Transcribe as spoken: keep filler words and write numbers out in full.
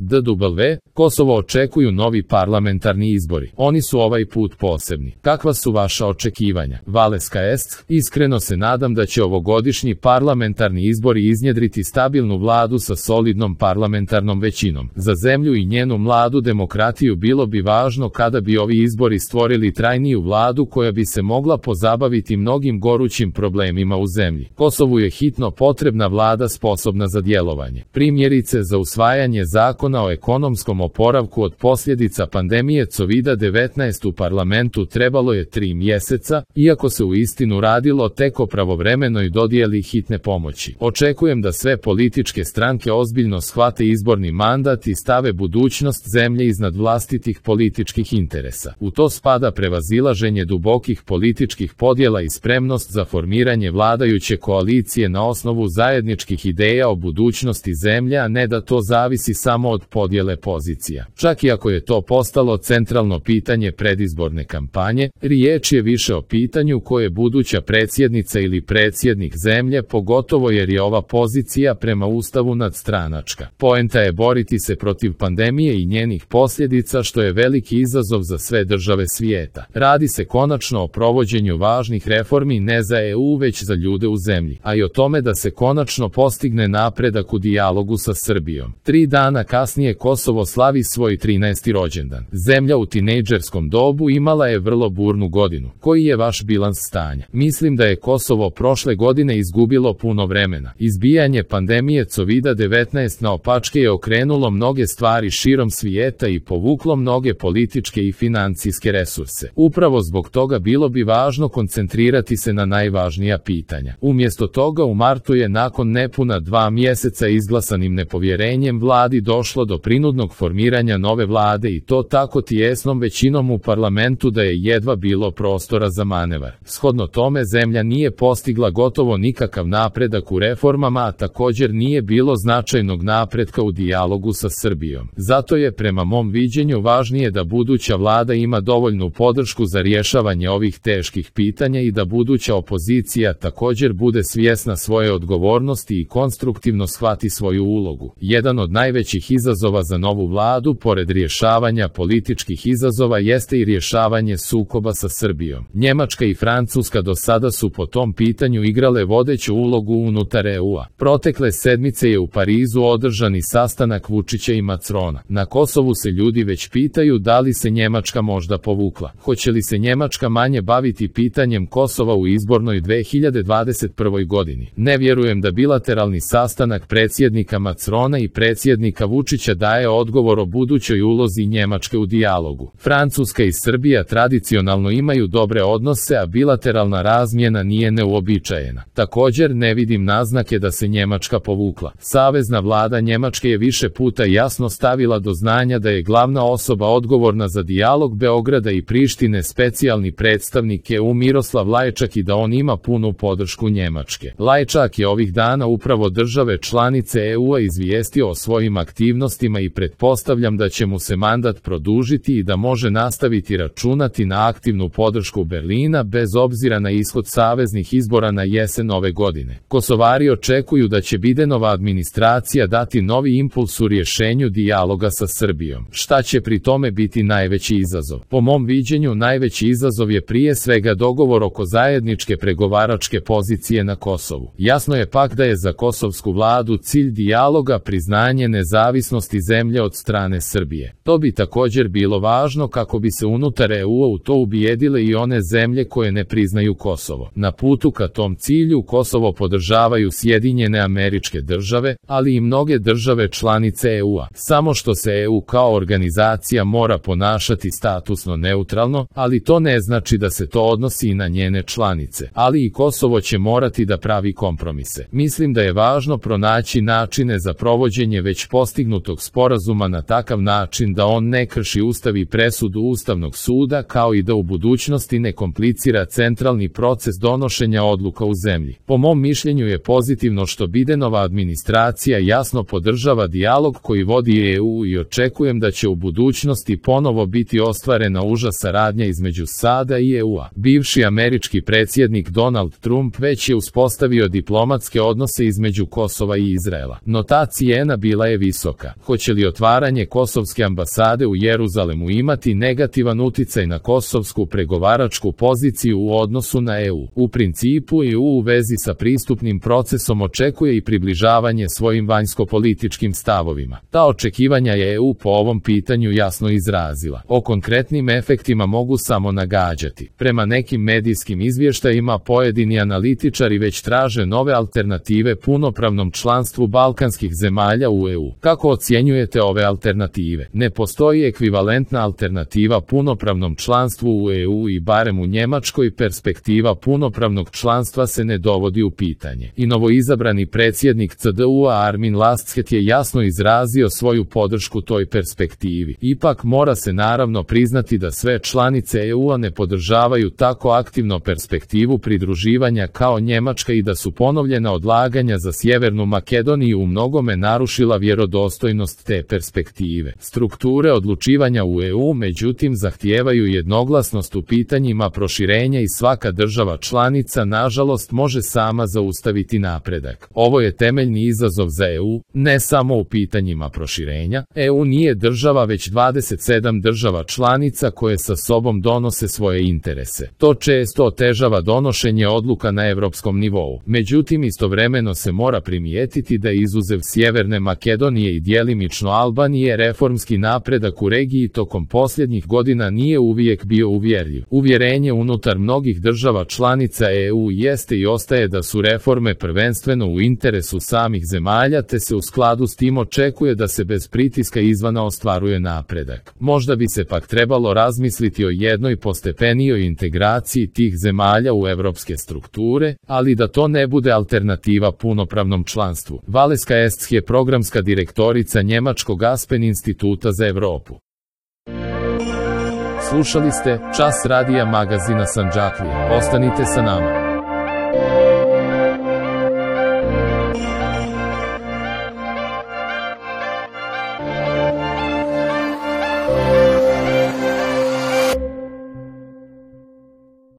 D W, Kosovo očekuju novi parlamentarni izbori. Oni su ovaj put posebni. Kakva su vaša očekivanja? Valeska est, iskreno se nadam da će ovogodišnji parlamentarni izbori iznjedriti stabilnu vladu sa solidnom parlamentarnom većinom. Za zemlju i njenu mladu demokratiju bilo bi važno kada bi ovi izbori stvorili trajniju vladu koja bi se mogla pozabaviti mnogim gorućim problemima u zemlji. Kosovu je hitno potrebna vlada sposobna za djelovanje. Primjerice za usvajanje zakona o ekonomskom oporavku od posljedica pandemije covida devetnaest u parlamentu trebalo je tri mjeseca, iako se u istinu radilo tek o pravovremenoj dodjeli hitne pomoći. Očekujem da sve političke stranke ozbiljno shvate izborni mandat i stave budućnost zemlje iznad vlastitih političkih interesa. U to spada prevazilaženje dubokih političkih podjela i spremnost za formiranje vladajuće koalicije na osnovu zajedničkih ideja o budućnosti zemlje, a ne da to zavisi samo od podjele pozicija. Čak i ako je to postalo centralno pitanje predizborne kampanje, riječ je više o pitanju koje buduća predsjednica ili predsjednik zemlje, pogotovo jer je ova pozicija prema Ustavu nadstranačka. Poenta je boriti se protiv pandemije i njenih posljedica, što je veliki izazov za sve države svijeta. Radi se konačno o provođenju važnih reformi ne za E U već za ljude u zemlji, a i o tome da se konačno postigne napredak u dijalogu sa Srbijom. Tri dana kasnije Kosovo slavi svoj trinaesti rođendan. Zemlja u tinejdžerskom dobu imala je vrlo burnu godinu. Koji je vaš bilans stanja? Mislim da je Kosovo prošle godine izgubilo puno vremena. Izbijanje pandemije covida devetnaest naopačke je okrenulo mnoge stvari širom svijeta i povuklo mnoge političke i financijske resurse. Upravo zbog toga bilo bi važno koncentrirati se na najvažnija pitanja. Umjesto toga u martu je nakon nepuna dva mjeseca izglasanim nepovjerenjem vladi došlo do prinudnog formiranja nove vlade i to tako tijesnom većinom u parlamentu da je jedva bilo prostora za manevar. Shodno tome zemlja nije postigla gotovo nikakav napredak u reformama, a također nije bilo značajnog napretka u dijalogu sa Srbijom. Zato je prema mom viđenju važnije da buduća vlada ima dovoljnu podršku za rješavanje ovih teških pitanja i da buduća opozicija također bude svjesna svoje odgovornosti i konstruktivno shvati svoju ulogu. Jedan od najvećih izazova za novu vladu, pored rješavanja političkih izazova, jeste i rješavanje sukoba sa Srbijom. Njemačka i Francuska do sada su po tom pitanju igrale vodeću ulogu unutar E U-a. Protekle sedmice je u Parizu održani sastanak Vučića i Macrona. Na Kosovu se ljudi već pitaju da li se Njemačka možda povukla. Hoće li se Njemačka manje baviti pitanjem Kosova u izbornoj dve hiljade dvadeset prvoj godini? Ne vjerujem da bilateralni sastanak predsjednika Macrona i predsjednika Vučića daje odgovor o budućoj ulozi Njemačke u dijalogu. Francuska i Srbija tradicionalno imaju dobre odnose, a bilateralna razmjena nije neuobičajena. Također ne vidim naznake da se Njemačka povukla. Savezna vlada Njemačke je više puta jasno stavila do znanja da je glavna osoba odgovorna za dijalog Beograda i Prištine specijalni predstavnik E U Miroslav Lajčak i da on ima punu podršku Njemačke. Lajčak je ovih dana upravo države članice E U-a izvijestio o svojim aktivnostima i pretpostavljam da će mu se mandat produžiti i da može nastaviti računati na aktivnu podršku Berlina bez obzira na ishod saveznih izbora na jesen ove godine. Kosovari očekuju da će Bidenova administracija dati novi impuls u rješenju dijaloga sa Srbijom. Šta će pri tome biti najveći izazov? Po mom viđenju najveći izazov je prije svega dogovor oko zajedničke pregovaračke pozicije na Kosovu. Jasno je pak da je za kosovsku vladu cilj dijaloga priznanje nezavisnosti zemlje od strane Srbije. To bi također bilo važno kako bi se unutar E U-a u to ubijedile i one zemlje koje ne priznaju Kosovo. Na putu ka tom cilju Kosovo podržavaju Sjedinjene Američke Države, ali i mnoge države članice E U-a. Samo što se E U kao organizacija mora ponašati statusno neutralno, ali to ne znači da se to odnosi i na njene članice. Ali i Kosovo će morati da pravi kompromise. Mislim da je važno pronaći načine za provođenje već postignutog sporazuma na takav način da on ne krši Ustav i presudu Ustavnog suda, kao i da u budućnosti ne komplicira centralni proces donošenja odluka u zemlji. Po mom mišljenju je pozitivno što Bidenova administracija jasno podržava dijalog koji vodi E U i očekujem da će u budućnosti ponovo biti ostvarena uža saradnja između SAD-a i E U-a. Bivši američki predsjednik Donald Trump već je uspostavio diplomatske odnose između Kosova i Izraela. No ta cijena bila je visoka. Hoće li otvaranje kosovske ambasade u Jeruzalemu imati negativan uticaj na kosovsku pregovaračku poziciju u odnosu na E U? U principu E U u vezi sa pristupnim procesom očekuje i približavanje svojim vanjsko-političkim stavovima. Ta očekivanja je E U po ovom pitanju jasno izrazila. O konkretnim efektima mogu samo nagađati. Prema nekim medijskim izvještajima pojedini analitičari već traže nove alternative punopravnom članstvu balkanskih zemalja u E U. Kako ocjenjujete ove alternative? Ne postoji ekvivalentna alternativa punopravnom članstvu u E U i barem u Njemačkoj perspektiva punopravnog članstva se ne dovodi u pitanje. I novoizabrani predsjednik C D U-a Armin Laschet je jasno izrazio svoju podršku toj perspektivi. Ipak mora se naravno priznati da sve članice E U-a ne podržavaju tako aktivno perspektivu pridruživanja kao Njemačka i da su ponovljena odlaganja za Sjevernu Makedoniju u mnogome narušila vjerodostojnost te perspektive. Strukture odlučivanja u E U međutim zahtijevaju jednoglasnost u pitanjima proširenja i svaka država članica nažalost može sama zaustaviti napredak. Ovo je temeljni izazov za E U, ne samo u pitanjima proširenja. E U nije država već dvadeset sedam država članica koje sa sobom donose svoje interese. To često otežava donošenje odluka na europskom nivou. Međutim, istovremeno se mora primijetiti da izuzev Sjeverne Makedonije i djelimično Albanije reformski napredak u regiji tokom posljednjih godina nije uvijek bio uvjerljiv. Uvjerenje unutar mnogih država članica E U jeste i ostaje da su reforme prvenstveno u interesu samih zemalja te se u skladu s tim očekuje da se bez pritiska izvana ostvaruje napredak. Možda bi se pak trebalo razmisliti o jednoj postepenijoj integraciji tih zemalja u evropske strukture, ali da to ne bude alternativa punopravnom članstvu. Valeska Est je programska direktorica Njemačkog Aspen instituta za Europu. Slušali ste Čas radija magazina Sandžaklija. Ostanite sa nama.